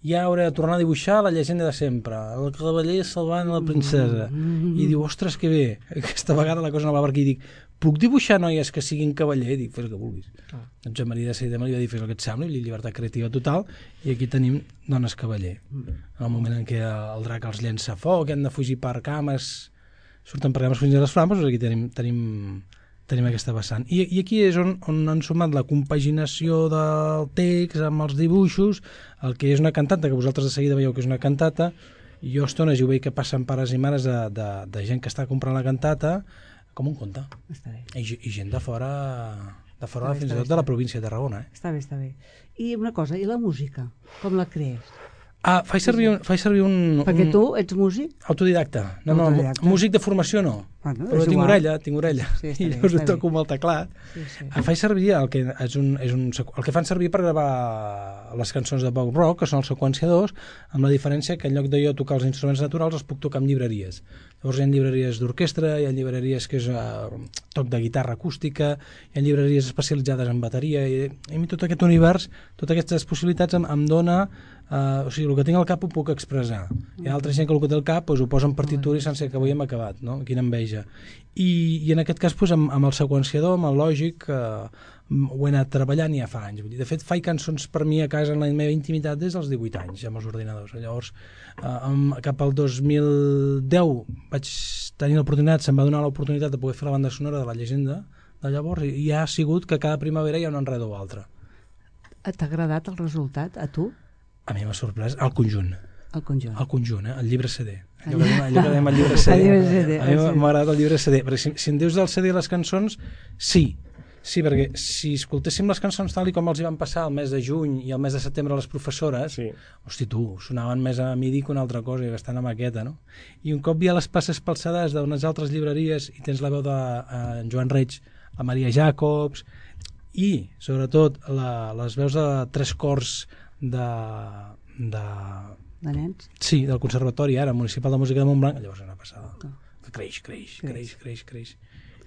ja hauré de tornar a dibuixar la llegenda de sempre, el cavaller salvant la princesa, mm-hmm. i diu, ostres, que bé, aquesta vegada la cosa no va per aquí, i dic, puc dibuixar noies que siguin cavaller? Dic, fes el que vulguis. Ah. En Josep Maria de seguida me li va dir, fes el que et sembli, llibertat creativa total, i aquí tenim dones cavaller. Mm. En el moment en què el drac els llença foc, han de fugir per cames, surten per cames fins a les flames, doncs aquí tenim, tenim, tenim aquesta vessant. I, i aquí és on, on han sumat la compaginació del text amb els dibuixos, el que és una cantata, que vosaltres de seguida veieu que és una cantata, i jo a estones ho veig que passen pares i mares de, de, de gent que està comprant la cantata, com un conte. Està bé. I, i gent de fora, de fora bé, fins i tot de la província de Tarragona. Eh? Està bé, està bé. I una cosa, i la música? Com la crees? Ah, faig servir un... Faig servir un Perquè un... tu ets músic? Autodidacta. No, Autodidacta. no, músic de formació no. Bueno, però tinc igual. orella, tinc orella. Sí, I llavors ho toco amb el teclat. Sí, sí. Ah, faig servir el que, és un, és un, el que fan servir per gravar les cançons de pop rock, que són els seqüenciadors, amb la diferència que en lloc de jo tocar els instruments naturals els puc tocar amb llibreries. Llavors hi ha llibreries d'orquestra, hi ha llibreries que és uh, toc de guitarra acústica, hi ha llibreries especialitzades en bateria, i, i a mi tot aquest univers, totes aquestes possibilitats em, em dona... Uh, o sigui, el que tinc al cap ho puc expressar. Hi ha altra gent que el que té al cap doncs, ho posa en partitura i sense que avui hem acabat, no? Quina enveja. I, i en aquest cas doncs, amb, amb el seqüenciador, amb el lògic, uh, ho he anat treballant ja fa anys. Vull dir, de fet, faig cançons per mi a casa en la meva intimitat des dels divuit anys, amb els ordinadors. Llavors, uh, amb, cap al dos mil deu vaig tenir l'oportunitat, se'm va donar l'oportunitat de poder fer la banda sonora de la llegenda de llavors, i ja ha sigut que cada primavera hi ha un enredo o altre. T'ha agradat el resultat, a tu? A mi m'ha sorprès el conjunt. El conjunt. El conjunt, eh? El llibre C D. Allò que, allò que dèiem el llibre C D. El llibre C D. A mi m'ha agradat el llibre C D. Perquè si, si em dius del C D i les cançons, sí. Sí, perquè si escoltéssim les cançons tal i com els hi van passar el mes de juny i el mes de setembre a les professores, sí. Hosti, tu, sonaven més a midi que una altra cosa, i gastant a maqueta, no? I un cop hi ha les passes palçades d'unes altres llibreries i tens la veu de uh, Joan Reig, la Maria Jacobs, i, sobretot, la, les veus de tres cors de, de... de nens? Sí, del Conservatori, ara, Municipal de Música de Montblanc, llavors és una passada. Que creix, creix, creix, creix, creix.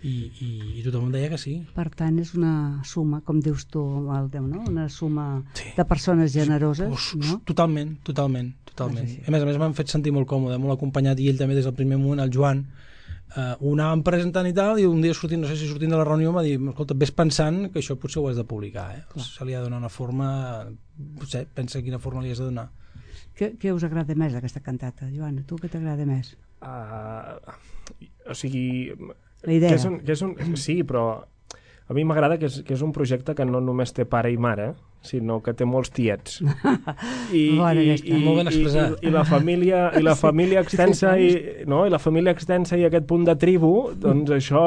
i, i, i tothom deia que sí. Per tant, és una suma, com dius tu, Aldeu, no? Una suma sí. de persones generoses, sí. no? Totalment, totalment, totalment. Sí, sí. A més a més m'han fet sentir molt còmode, molt acompanyat, i ell també des del primer moment, el Joan, uh, ho anàvem presentant i tal, i un dia sortint, no sé si sortint de la reunió, m'ha dit, escolta, ves pensant que això potser ho has de publicar, eh? Clar. Se li ha de donar una forma, potser pensa quina forma li has de donar. Què, què us agrada més d'aquesta cantata, Joan? Tu què t'agrada més? Uh, o sigui... La idea. Que és un, que és un, sí, però a mi m'agrada que, és, que és un projecte que no només té pare i mare, sinó que té molts tiets. I, Bona, i, i, molt ben expressat. I, i la família, i la família extensa i, no? I la família extensa i aquest punt de tribu, doncs això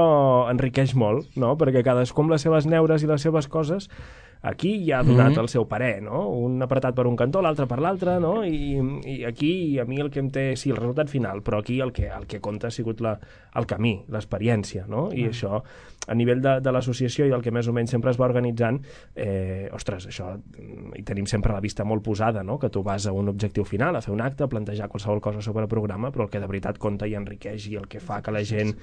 enriqueix molt, no? Perquè cadascú amb les seves neures i les seves coses aquí ja ha donat mm-hmm. el seu parer, no? Un apretat per un cantó, l'altre per l'altre, no? I, I aquí a mi el que em té... Sí, el resultat final, però aquí el que, el que compta ha sigut la, el camí, l'experiència, no? I mm. això, a nivell de, de l'associació i del que més o menys sempre es va organitzant, eh, ostres, això hi tenim sempre la vista molt posada, no? Que tu vas a un objectiu final, a fer un acte, a plantejar qualsevol cosa sobre el programa, però el que de veritat compta i enriqueix i el que fa que la gent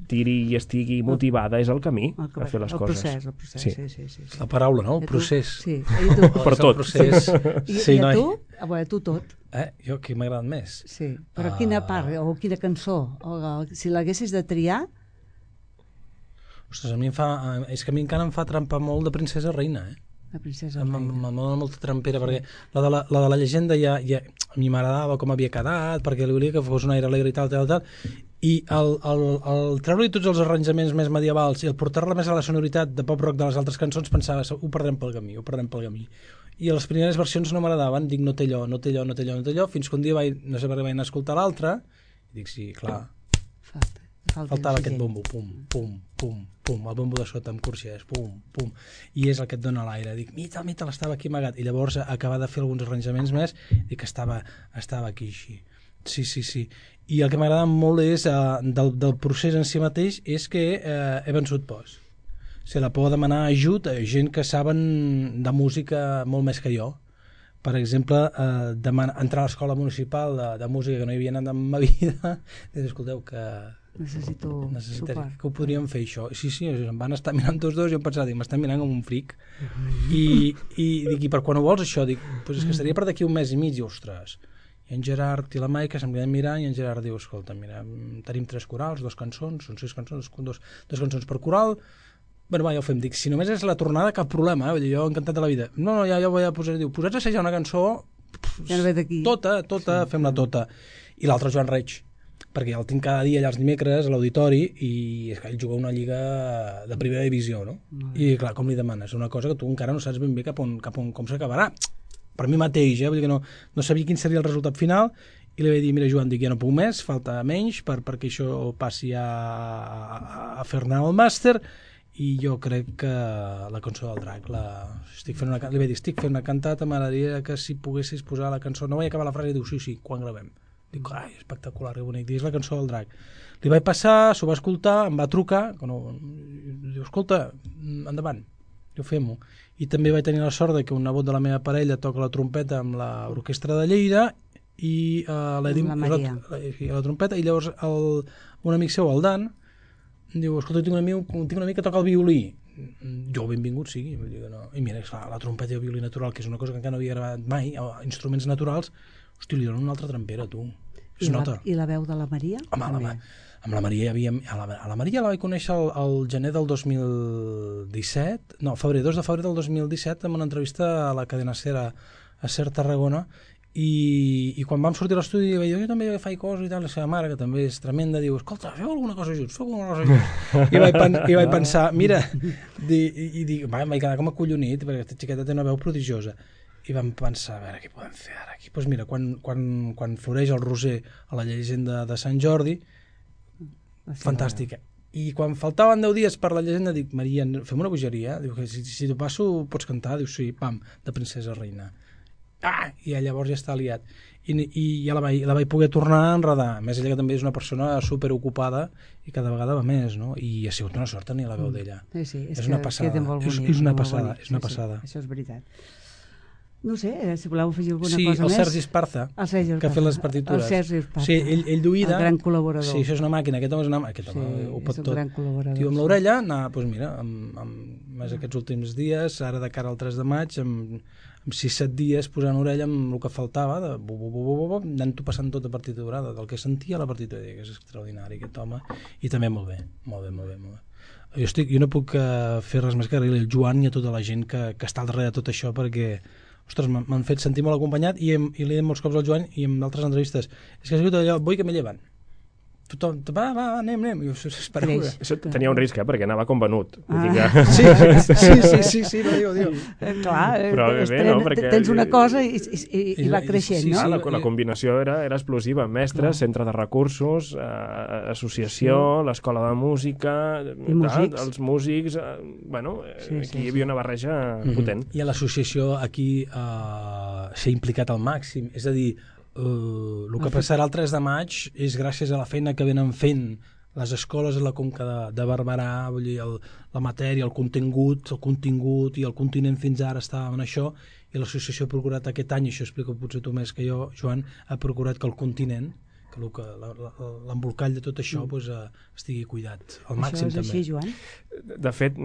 tiri i estigui motivada és el camí el, a fer les el coses. Procés, el procés, sí, sí, sí, sí, sí. La paraula, no? El procés. Sí, i tu? Per tot. Procés. I, sí, i a noi. tu? A veure, tu tot. Eh? Jo, qui m'ha agradat més? Sí, però uh... quina part, o quina cançó? O, si l'haguessis de triar... Ostres, a mi em fa... És que a mi encara em fa trampar molt de Princesa Reina, eh? La princesa Reina. M'ha donat molta trampera, perquè la de la, la de la llegenda ja, ja a mi m'agradava com havia quedat, perquè li volia que fos un aire alegre i tal, tal, tal, i el, el, el treure-li tots els arranjaments més medievals i el portar-la més a la sonoritat de pop-rock de les altres cançons, pensava, ho perdrem pel camí, ho perdrem pel camí. I les primeres versions no m'agradaven, dic, no té allò, no té allò, no té allò, no té allò, fins que un dia vaig, no sé per què vaig anar a escoltar l'altre, i dic, sí, clar, Falta, falta faltava aquest bombo, pum, pum, pum, pum, el bombo de sota amb corxers, pum, pum, i és el que et dona l'aire. Dic, mita, mita, l'estava aquí amagat, i llavors acabar de fer alguns arranjaments més, dic que estava, estava aquí així. Sí, sí, sí. I el que m'agrada molt és, uh, del, del procés en si mateix, és que uh, he vençut pors. O sigui, la por de demanar ajut a gent que saben de música molt més que jo. Per exemple, uh, demanar, entrar a l'escola municipal de, de música que no hi havia anat en ma vida, i escolteu que... Necessito suport. Que ho podríem fer, això. Sí, sí, em van estar mirant tots dos i em pensava, dic, m'estan mirant com un fric. Mm-hmm. I, i dic, i per quan ho vols, això? Dic, pues és que estaria per d'aquí un mes i mig, i ostres... I en Gerard i la Maica se'm queden mirant i en Gerard diu, escolta, mira, tenim tres corals, dos cançons, són sis cançons, dos, dos cançons per coral, bueno, va, ja ho fem, dic, si només és la tornada, cap problema, eh? Jo encantat de la vida. No, no, ja, ja ho vaig a posar, diu, posats a assajar una cançó, pff, ja no ve d'aquí. Tota, tota, sí, fem-la tota. I l'altre Joan Reig, perquè el tinc cada dia allà els dimecres a l'auditori i és que ell juga una lliga de primera divisió, no? Mm. I clar, com li demanes? Una cosa que tu encara no saps ben bé cap on, cap on com s'acabarà. Per mi mateix, eh? Vull dir que no, no sabia quin seria el resultat final i li vaig dir, mira Joan, dic, ja no puc més, falta menys per, perquè això passi a, a, a fer-ne el màster i jo crec que la cançó del drac la... estic fent una, li vaig dir, estic fent una cantata, m'agradaria que si poguessis posar la cançó, no vaig acabar la frase i diu, sí, sí, quan gravem? Dic, ai, espectacular, que bonic, dic, és la cançó del drac. Li vaig passar, s'ho va escoltar, em va trucar, no, diu, escolta, endavant, jo fem-ho. I també vaig tenir la sort de que un nebot de la meva parella toca la trompeta amb l'orquestra de Lleida i uh, l'Edim la, la, la trompeta i llavors el, un amic seu, el Dan, diu, escolta, tinc un amic, tinc un amic que toca el violí. Jo, benvingut sigui. Vull dir que no. I mira, esclar, la trompeta i el violí natural, que és una cosa que encara no havia gravat mai, instruments naturals, hosti, li donen una altra trampera, tu. Es I, nota. La, I la veu de la Maria? Home, la, amb la Maria hi havia... A la, a la Maria la vaig conèixer el, el gener del dos mil disset, no, febrer, dos de febrer del dos mil disset, en una entrevista a la cadena SER a, a SER Tarragona, i, i quan vam sortir a l'estudi vaig dir, jo també faig coses i tal, la seva mare, que també és tremenda, diu, escolta, feu alguna cosa junts, feu alguna cosa junts. I vaig, pen, i vaig pensar, mira, di, i, i dic, va, vaig quedar com acollonit, perquè aquesta xiqueta té una veu prodigiosa. I vam pensar, a veure, què podem fer ara aquí? Doncs pues mira, quan, quan, quan floreix el roser a la llegenda de Sant Jordi, fantàstica. I quan faltaven deu dies per la llegenda, dic, Maria, fem una bogeria? Diu, que si, si t'ho passo pots cantar? Diu, sí, pam, de Princesa Reina. Ah! I llavors ja està aliat. I, i ja la vaig, la vaig poder tornar a enredar. A més, ella que també és una persona superocupada i cada vegada va més, no? I ha sigut una sort tenir la veu d'ella. Sí, sí, és, és una passada. És, és una passada, és una passada. Sí, sí, això és veritat. no sé, eh, si voleu afegir alguna sí, cosa més. més. Sí, el Sergi Esparza, el Sergi que ha fet les partitures. El Sergi Esparza. Sí, ell, ell duida... El gran col·laborador. Sí, això és una màquina, aquest home és una màquina. Aquest home sí, ho pot és un tot. gran col·laborador. Tio, amb sí. l'orella, anar, doncs mira, amb, amb més aquests últims dies, ara de cara al tres de maig, amb, amb sis set dies posant orella amb el que faltava, de bu, bu, bu, bu, bu, bu, anant-ho passant tota partitura, del que sentia la partitura, que és extraordinari aquest home, i també molt bé, molt bé, molt bé, molt bé. Jo, estic, jo no puc uh, fer res més que agrair al Joan i a tota la gent que, que està al darrere de tot això, perquè ostres, m'han fet sentir molt acompanyat i, hem, i li he dit molts cops al Joan i en altres entrevistes, és que ha sigut allò, vull que me lleven. Tothom, va, va, va, anem, anem. Jo, espereu, això tenia un risc, eh? Perquè anava com venut. Ah. Que... Sí, sí, sí, sí, sí, sí, no diu, diu. Eh, clar, però bé, bé, no? Perquè... tens una cosa i, i, i, i va creixent, sí, no? Sí, la, la combinació era, era explosiva. Mestres, centre de recursos, eh, associació, sí. l'escola de música, músics. els músics... Eh, bueno, sí, aquí sí, hi havia una barreja mm-hmm. potent. I a l'associació aquí eh, s'ha implicat al màxim, és a dir, Uh, el que passarà el tres de maig és gràcies a la feina que venen fent les escoles a la Conca de, de Barberà, vull dir, el, la matèria, el contingut, el contingut i el continent fins ara estava en això, i l'associació ha procurat aquest any, i això explico potser tu més que jo, Joan, ha procurat que el continent, que l'embolcall de tot això mm. pues, uh, estigui cuidat al màxim també. Això és també. així, Joan? De fet,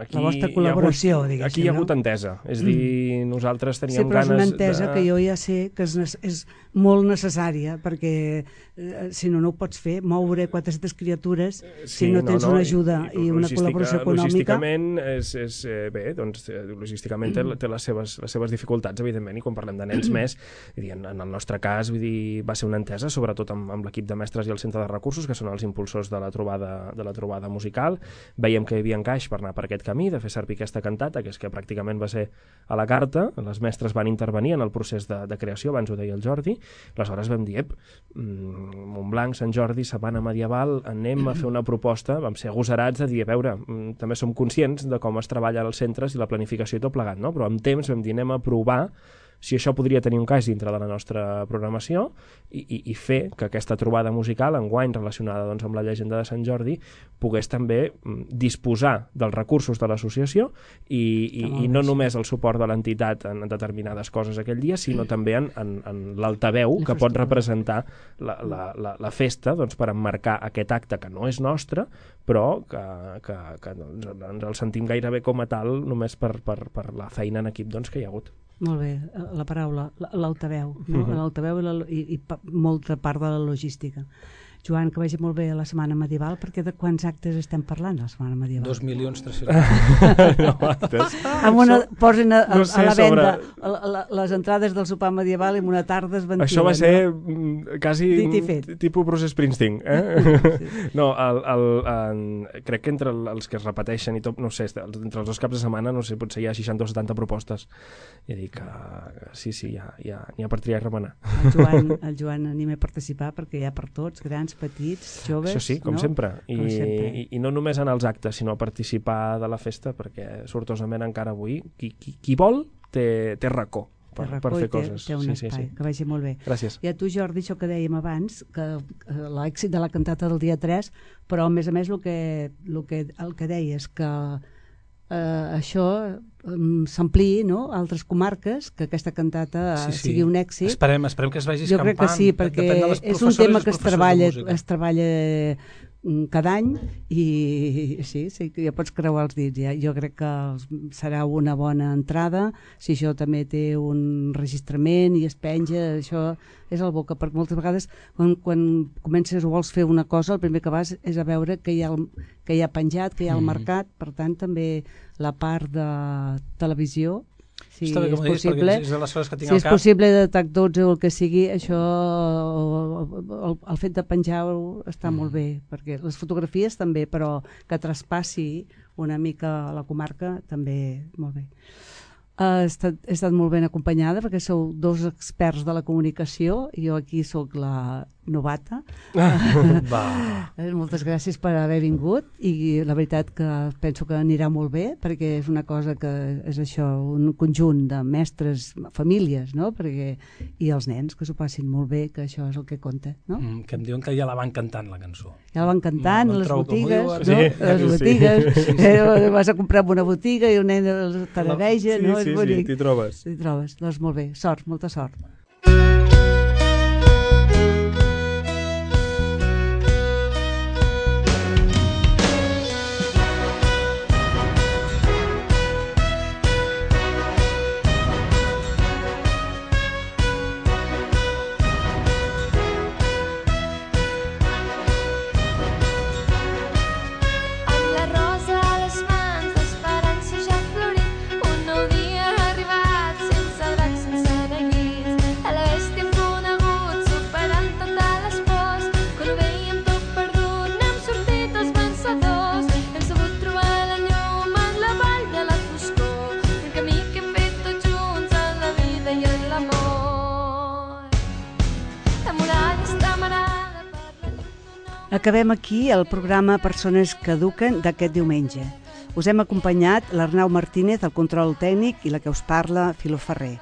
aquí, la vostra col·laboració, hi diguéssim, aquí hi ha hagut no? entesa, és mm. dir, nosaltres teníem sí, però ganes és una entesa de... que jo ja sé que és, és molt necessària, perquè eh, si no, no ho pots fer, moure quatre-centes criatures sí, si no tens no, no, una ajuda i, i, i una col·laboració econòmica. Logísticament, és, és, eh, bé, doncs, logísticament té, té les, seves, les seves dificultats, evidentment, i quan parlem de nens més, dir, en, en el nostre cas, vull dir, va ser una entesa, sobretot amb, amb l'equip de mestres i el centre de recursos, que són els impulsors de la trobada, de la trobada musical. Veiem que hi havia encaix per anar per aquest camí, de fer servir aquesta cantata, que és que pràcticament va ser a la carta, les mestres van intervenir en el procés de, de creació, abans ho deia el Jordi, aleshores vam dir, ep, Montblanc, Sant Jordi, Sabana Medieval, anem a fer una proposta, vam ser agosarats de dir, a veure, també som conscients de com es treballa als centres i la planificació i tot plegat, no? Però amb temps vam dir, anem a provar si això podria tenir un cas dintre de la nostra programació i, i, i fer que aquesta trobada musical, enguany relacionada doncs, amb la llegenda de Sant Jordi, pogués també disposar dels recursos de l'associació i, i, i no només el suport de l'entitat en determinades coses aquell dia, sinó també en, en, en l'altaveu que pot representar la, la, la, la festa doncs, per emmarcar aquest acte que no és nostre, però que, que, que doncs, ens el sentim gairebé com a tal només per, per, per la feina en equip doncs, que hi ha hagut. Molt bé, la paraula, l'altaveu, no? Uh-huh. L'altaveu i, la, i, i molta part de la logística. Joan, que vagi molt bé a la Setmana Medieval, perquè de quants actes estem parlant a la Setmana Medieval? Dos milions tres-cents. No, actes. Amb una, posin a, a, no sé, a la venda sobre... a, a, les entrades del sopar medieval i en una tarda es ventilen. Això va ser no? quasi tipus Bruce Springsteen. Eh? Sí. No, el, el, el, crec que entre els que es repeteixen i tot, no sé, entre els dos caps de setmana, no sé, potser hi ha seixanta o setanta propostes. I dic que sí, sí, ja, ja, n'hi ha per triar i remenar. El Joan, el Joan anima a participar perquè hi ha per tots, grans, petits, joves... Això sí, com no? sempre. I, com sempre. I, I no només en els actes, sinó a participar de la festa, perquè sortosament encara avui qui, qui, qui vol té, té racó per, té racó per fer té, coses. Té un sí, espai, sí, sí. que vagi molt bé. Gràcies. I a tu, Jordi, això que dèiem abans, que l'èxit de la cantata del dia tres, però a més a més el que, el que, el que deies, que eh, això um, s'ampliï, no?, a altres comarques, que aquesta cantata sí, sí. sigui un èxit. Esperem, esperem que es vagi escampant. Jo crec que sí, perquè és un tema que es treballa, es treballa cada any i sí, sí, ja pots creuar els dits. Ja. Jo crec que serà una bona entrada, si això també té un registrament i es penja, això és el boca, perquè moltes vegades quan, quan comences o vols fer una cosa, el primer que vas és a veure que hi ha, el, que hi ha penjat, que hi ha el mercat, per tant també la part de televisió, si Està bé, és possible, és de les coses que tinc si al és cap. possible de TAC dotze o el que sigui, això, el, el fet de penjar està mm. molt bé, perquè les fotografies també, però que traspassi una mica la comarca també molt bé. He estat, he estat molt ben acompanyada perquè sou dos experts de la comunicació i jo aquí sóc la, novata. Va. Moltes gràcies per haver vingut i la veritat que penso que anirà molt bé perquè és una cosa que és això, un conjunt de mestres, famílies, no? Perquè, i els nens que s'ho passin molt bé, que això és el que compta, no? Mm, que em diuen que ja la van cantant la cançó. Ja la van cantant, no, les trobo, botigues, no? Sí, les sí, botigues, sí, sí. Eh, vas a comprar una botiga i un nen els tarareja, sí, no? sí, És bonic. sí, t'hi trobes. T'hi trobes, doncs molt bé, sort, molta sort. Acabem aquí el programa Persones que eduquen d'aquest diumenge. Us hem acompanyat l'Arnau Martínez, el control tècnic, i la que us parla, Filo Ferrer.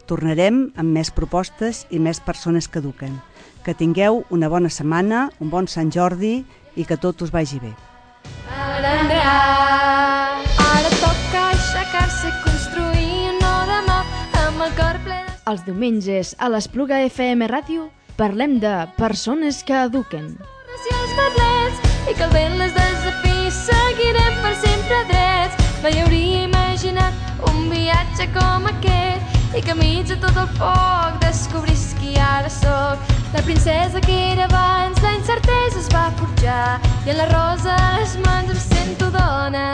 Tornarem amb més propostes i més persones que eduquen. Que tingueu una bona setmana, un bon Sant Jordi i que tot us vagi bé. Ara toca aixecar-se, construir un nou demà amb el cor ple de... Els diumenges a l'Espluga F M Ràdio parlem de persones que eduquen. I els merlets, i que el vent les desafiï, seguirem per sempre drets. Mai hauria imaginat un viatge com aquest i que enmig de tot el foc descobrís qui ara sóc. La princesa que era abans, la incertesa es va forjar i en la rosa a les mans em sento dona.